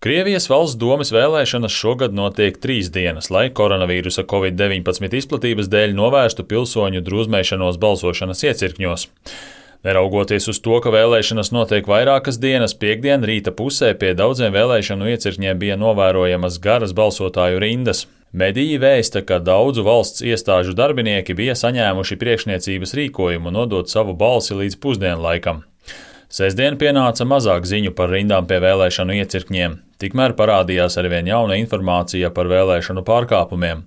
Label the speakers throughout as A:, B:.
A: Krievijas valsts domes vēlēšanas šogad notiek 3 dienas, lai koronavīrusa Covid-19 izplatības dēļ novērstu pilsoņu drūzmēšanos balsošanas iecirkņos. Neraugoties uz to, ka vēlēšanas notiek vairākas dienas, piektdien rīta pusē pie daudziem vēlēšanu iecirkņiem bija novērojamas garas balsotāju rindas. Mediji vēsta, ka daudzu valsts iestāžu darbinieki bija saņēmuši priekšniecības rīkojumu nodot savu balsi līdz pusdienlaikam. Sestdien pienāca mazāk ziņu par rindām pie vēlēšanu iecirkņiem, tikmēr parādījās arvien jauna informācija par vēlēšanu pārkāpumiem.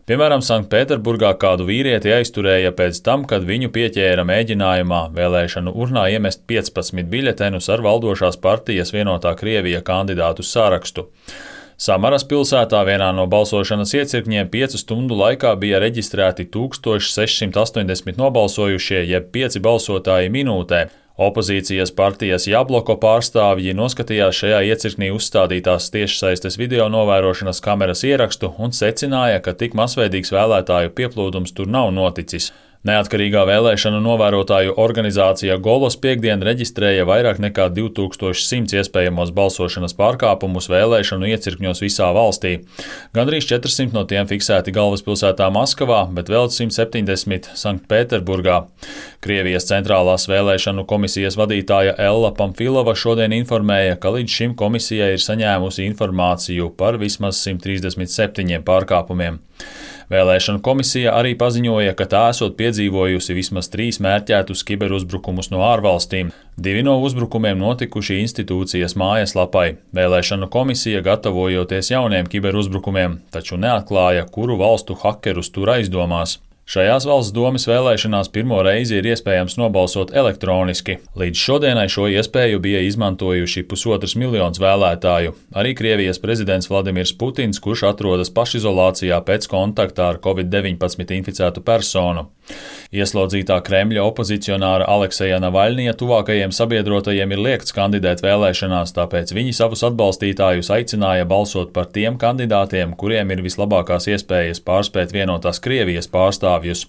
A: Piemēram, Sanktpēterburgā kādu vīrieti aizturēja pēc tam, kad viņu pieķēra mēģinājumā vēlēšanu urnā iemest 15 biļetenus ar valdošās partijas Vienotā Krievija kandidātu sarakstu. Samaras pilsētā vienā no balsošanas iecirkņiem 5 stundu laikā bija reģistrēti 1680 nobalsojušie, jeb 5 balsotāji minūtē. Opozīcijas partijas Jabloko pārstāvji noskatījās šajā iecirknī uzstādītās tiešsaistes video novērošanas kameras ierakstu un secināja, ka tik masveidīgs vēlētāju pieplūdums tur nav noticis. Neatkarīgā vēlēšanu novērotāju organizācija Golos piektdien reģistrēja vairāk nekā 2100 iespējamos balsošanas pārkāpumus vēlēšanu iecirkņos visā valstī. Gandrīz 400 no tiem fiksēti galvaspilsētā Maskavā, bet vēl 170 Sanktpēterburgā. Krievijas centrālās vēlēšanu komisijas vadītāja Ella Pamfilova šodien informēja, ka līdz šim komisija ir saņēmusi informāciju par vismaz 137 pārkāpumiem. Vēlēšanu komisija arī paziņoja, ka tā esot piedzīvojusi vismaz 3 mērķētus kiberuzbrukumus no ārvalstīm. 2 no uzbrukumiem notikuši institūcijas mājaslapai. Vēlēšanu komisija gatavojoties jauniem kiberuzbrukumiem, taču neatklāja, kuru valstu hakerus tur aizdomās. Šajās valsts domes vēlēšanās pirmo reizi ir iespējams nobalsot elektroniski. Līdz šodienai šo iespēju bija izmantojuši 1,5 miljonu vēlētāju. Arī Krievijas prezidents Vladimirs Putins, kurš atrodas pašizolācijā pēc kontakta ar Covid-19 inficētu personu. Ieslodzītā Kremļa opozicionāra Alekseja Navaļnija tuvākajiem sabiedrotajiem ir liegts kandidēt vēlēšanās, tāpēc viņi savus atbalstītājus aicināja balsot par tiem kandidātiem, kuriem ir vislabākās iespējas pārspēt Vienotās Krievijas pārstāvjus.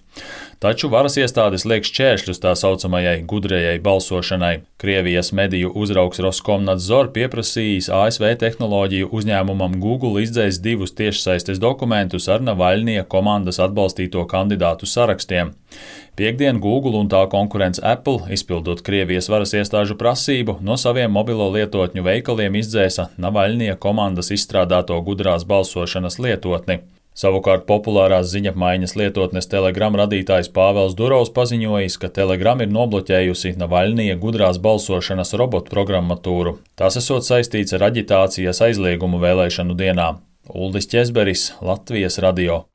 A: Taču varas iestādes liek šķēršļus tā saucamajai gudrajai balsošanai. Krievijas mediju uzraugs Roskomnadzor pieprasījis ASV tehnoloģiju uzņēmumam Google izdzēst 2 tiešsaistes dokumentus ar Navaļnija komandas atbalstīto kandidātu sarakstiem. Piektdien Google un tā konkurents Apple, izpildot Krievijas varas iestāžu prasību, no saviem mobilo lietotņu veikaliem izdzēsa Navaļnija komandas izstrādāto gudrās balsošanas lietotni. Savukārt populārās ziņapmaiņas lietotnes Telegram radītājs Pāvels Durovs paziņojis, ka Telegram ir nobloķējusi Navaļnija gudrās balsošanas robotu programmatūru. Tas esot saistīts ar aģitācijas aizliegumu vēlēšanu dienā. Uldis Ķezberis, Latvijas radio.